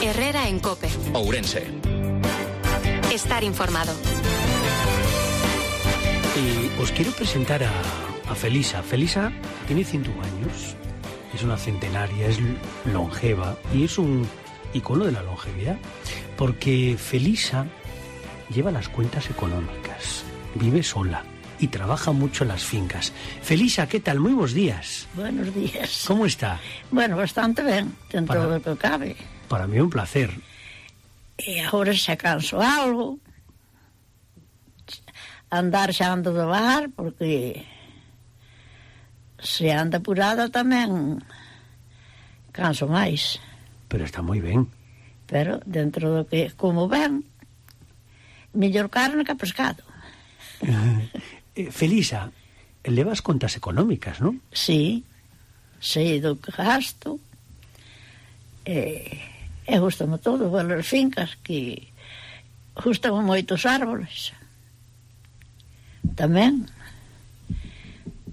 Herrera en COPE. Ourense. Estar informado. Os quiero presentar a Felisa. Felisa tiene 101 años, es una centenaria, es longeva y es un icono de la longevidad, porque Felisa lleva las cuentas económicas, vive sola y trabaja mucho en las fincas. Felisa, ¿qué tal? Muy buenos días. Buenos días. ¿Cómo está? Bueno, bastante ben, dentro do que cabe. Para mí é un placer. E agora xa canso algo. Andar xa ando devagar, porque se anda apurada tamén canso máis. Pero está moi ben. Pero dentro do que como ben, mellor carne que pescado. Felisa, levas contas económicas, non? Sí, sei do que gasto. E gustame todo, as fincas, que gustame moitos árboles. Tamén.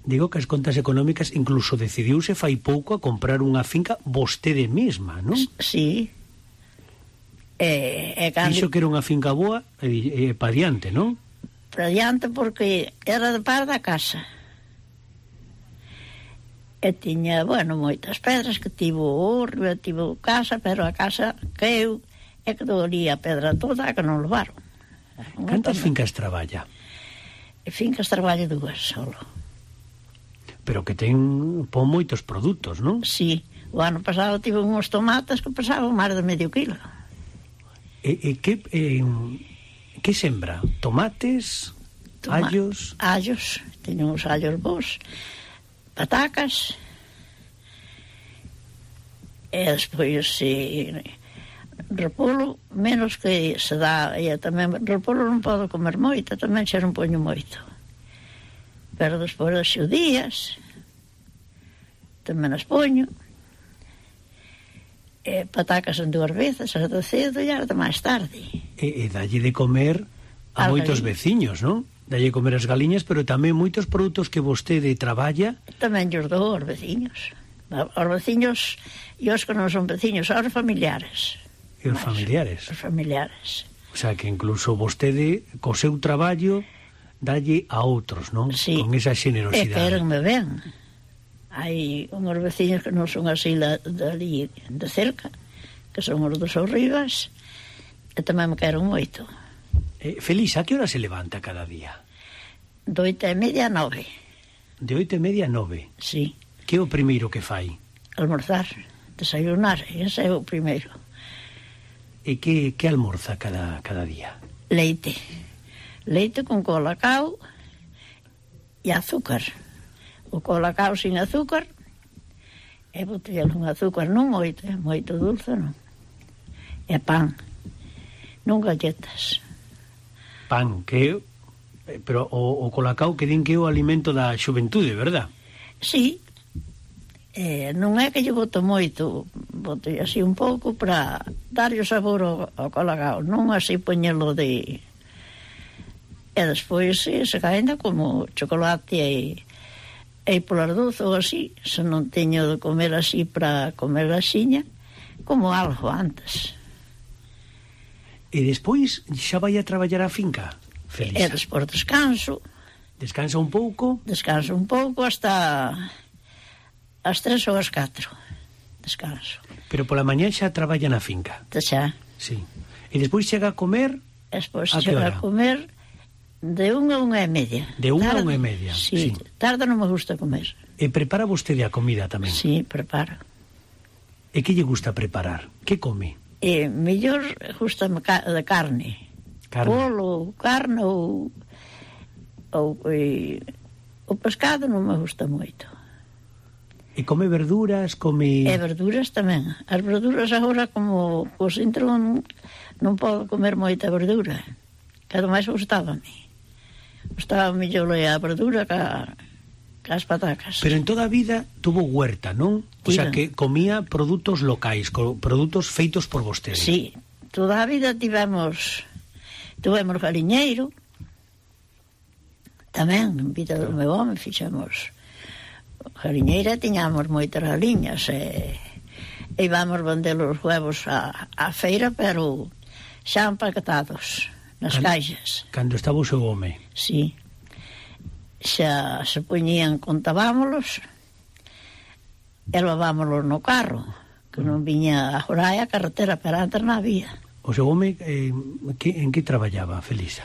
Digo que as contas económicas incluso decidiuse fai pouco a comprar unha finca vostede mesma, non? Sí. Dixo que era unha finca boa e pa diante, non? Pa diante, porque era de par da casa. E tiña, bueno, moitas pedras, que tivo orbe, tivo casa, pero a casa caeu e que dolía a pedra toda, que non levaron. Cantas fincas traballa? Fincas traballo 2 solo. Pero que pon moitos produtos, non? Sí, o ano pasado tive uns tomates que pesaban máis de medio kilo. Que sembra? Tomates? Allos? Allos, teño uns allos bons, patacas, e despois repolo, menos que se dá, e tamén repolo non podo comer moito, tamén xa non poño moito, pero despois das xudías tamén as poño, e patacas en 2 veces, as de cedo e as de máis tarde. E dalle de comer a moitos veciños, non? Dalle comer as galiñas, pero tamén moitos produtos que vostede traballa. Tamén os dou aos veciños. Os veciños e os que non son veciños, aos familiares. E os familiares? Os familiares. O sea, que incluso vostede, co seu traballo, dalle a outros, non? Sí. Con esa xenerosidade. E querenme ben. Hai unhos veciños que non son así dali de cerca, que son os dos Rivas, e tamén me queren moito. Felisa, a que hora se levanta cada día? De 8:30 a 9. De 8:30 a 9? Sí. Que é o primeiro que fai? Almorzar, desayunar, ese é o primeiro. E que almorza cada día? Leite. Leite con colacao e azúcar. O colacao sin azúcar, e botella con azúcar, non moito, moito dulce, non. E pan, non galletas. Pan, pero o colacao que din que é o alimento da xuventude, verdad? Sí. Non é que lle boto moito, boto así un pouco para darlle o sabor ao colacao, non así poñelo de... E despois se caenda como chocolate e polar doce ou así, se non teño de comer así para comer axiña, como algo antes. E despois xa vai a traballar a finca, Felisa? E despois descanso. Descansa un pouco? Descanso un pouco hasta as 3 ou as 4. Descanso. Pero pola mañá xa traballa na finca? Xa. Sí. E despois chega a comer? Despois chega a comer de 1 a 1:30. De 1 a 1:30? Sí. Tarde non me gusta comer. E prepara vostede a comida tamén? Sí, preparo. E que lle gusta preparar? Que come? Mellor gusta de carne. Polo, carne ou o pescado non me gusta moito. E come verduras, come... E verduras tamén. As verduras agora, como os intro, non podo comer moita verdura. Cada máis gustaba-me. Gustaba mellor a verdura que as patacas. Pero en toda a vida tuvo huerta, non? O sea, que comía produtos locais, produtos feitos por vostede. Sí, toda a vida tivemos galiñeiro, tamén, en vida do meu home, fixemos galiñeira, tiñamos moitas galiñas, e e vamos vender os huevos á feira, pero xa empaquetados nas caixas. Cando estaba o seu home? Sí. Xa se poñían, contábámolos e levámolos no carro, que non viña a Joraya a carretera, pero antes non había. O seu home en que traballaba, Felisa?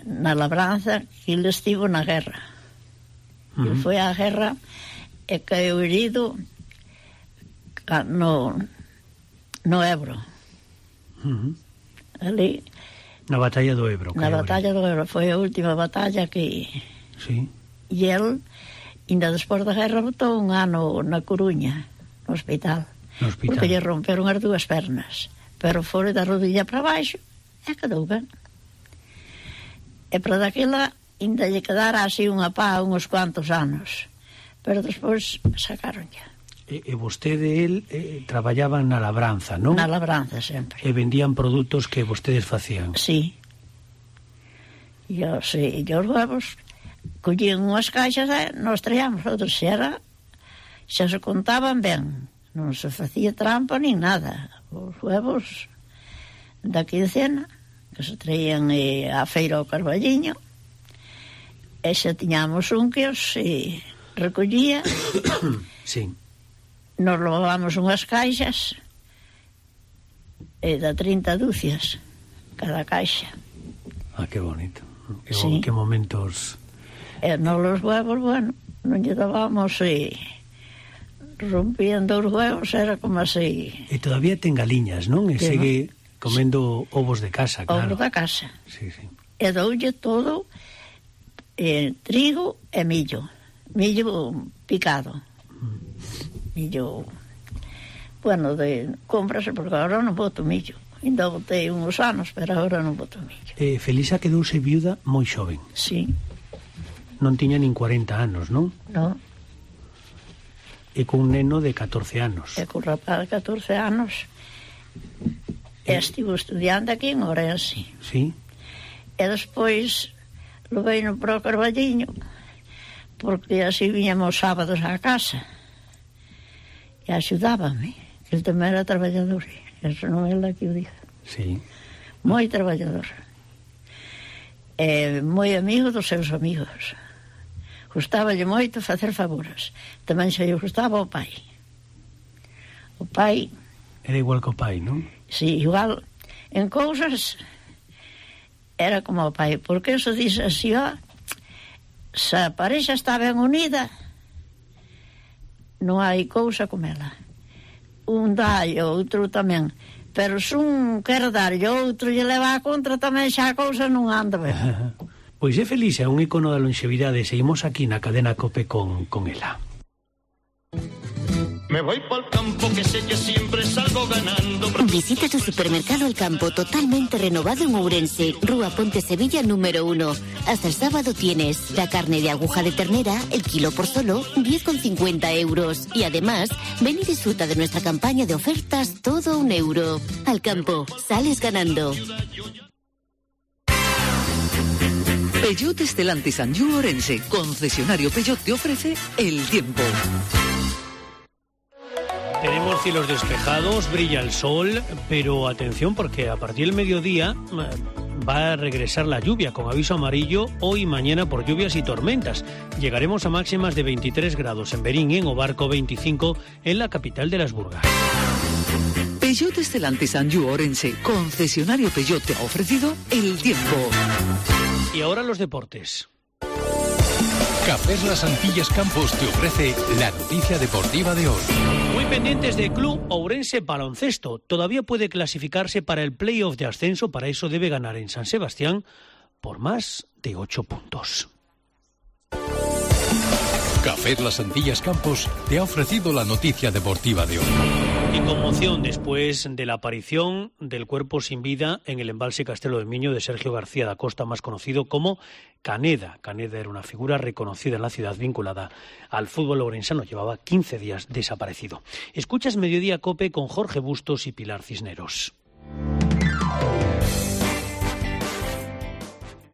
Na labranza, que ele estivo na guerra. Ele foi á guerra e caeu herido no Ebro. Ali, na batalla do Ebro. Na batalla do Ebro, foi a última batalla que... Sí. E el, ainda despois da guerra, botou un ano na Coruña, no hospital. No hospital. Porque lle romperon as dúas pernas. Pero foi da rodilla para baixo e quedou ben. E para daquela, ainda lle quedara así unha pá uns cuantos anos. Pero despois sacaron ya. E vostede e el traballaban na labranza, non? Na labranza sempre. E vendían produtos que vostedes facían. Sí. E os huevos collían unhas caixas e nos traíamos outros. Xa se contaban ben. Non se facía trampa nin nada. Os huevos daqui de Cena, que se traían á feira ao Carballiño, e xa tiñamos un que os recollía. Sí. Nos levábamos unhas caixas e da 30 dúcias cada caixa. Ah, que bonito. Sí. Que momentos. E nos los huevos, bueno, non lle dábamos rompían dos huevos, era como así. E todavía ten galiñas, non? E Sí, segue comendo ovos de casa, claro. Ovos da casa. Sí, sí. E doulle todo trigo e millo. Millo picado. Millo, bueno, cómprase, porque agora non boto millo. Ainda botei uns anos, pero agora non boto millo. Felisa quedouse viuda moi xoven. Sí. Non tiña nin 40 anos, non? Non. E cun neno de 14 anos. E cun rapaz de 14 anos. E estivo estudiando aquí en Ourense. Sí. E despois levei no pro Carballiño, porque así viñamos sábados á casa. E axudábame. Ele tamén era traballador. Eso non é la que o diga. Sí. Moi traballador. E moi amigo dos seus amigos. Gustáballe moito facer favores. Tamén xa lle gustaba o pai. O pai... Era igual que o pai, non? Sí, igual. En cousas era como o pai. Porque eso dice así, se a parexa está ben unida, non hai cousa como ela. Un dá e outro tamén. Pero se un quer dar e outro lle leva a contra, tamén xa a cousa non anda ben. Pois é feliz, é un icono da longevidade. Seguimos aquí na cadena COPE con ela. Me voy pa'l campo que sé que siempre salgo ganando. Visita tu supermercado El Campo, totalmente renovado en Ourense, Rúa Ponte Sevilla número 1. Hasta el sábado tienes la carne de aguja de ternera, el kilo por solo 10,50 euros. Y además, ven y disfruta de nuestra campaña de ofertas todo €1. Al Campo, sales ganando. Peugeot Stellantis Anjou Ourense, concesionario Peugeot, te ofrece el tiempo. Tenemos cielos despejados, brilla el sol, pero atención porque a partir del mediodía va a regresar la lluvia con aviso amarillo hoy y mañana por lluvias y tormentas. Llegaremos a máximas de 23 grados en Berín, en Obarco 25 en la capital de las Burgas. Peugeot Stellantis Anjou Ourense, concesionario Peugeot, te ha ofrecido el tiempo. Y ahora los deportes. Cafés Las Antillas Campos te ofrece la noticia deportiva de hoy. Muy pendientes de Club Ourense Baloncesto. Todavía puede clasificarse para el playoff de ascenso. Para eso debe ganar en San Sebastián por más de 8 puntos. Cafés Las Antillas Campos te ha ofrecido la noticia deportiva de hoy. Y conmoción después de la aparición del cuerpo sin vida en el embalse Castelo de Miño de Sergio García da Costa, más conocido como Caneda. Caneda era una figura reconocida en la ciudad vinculada al fútbol ourensano. Llevaba 15 días desaparecido. Escuchas Mediodía COPE con Jorge Bustos y Pilar Cisneros.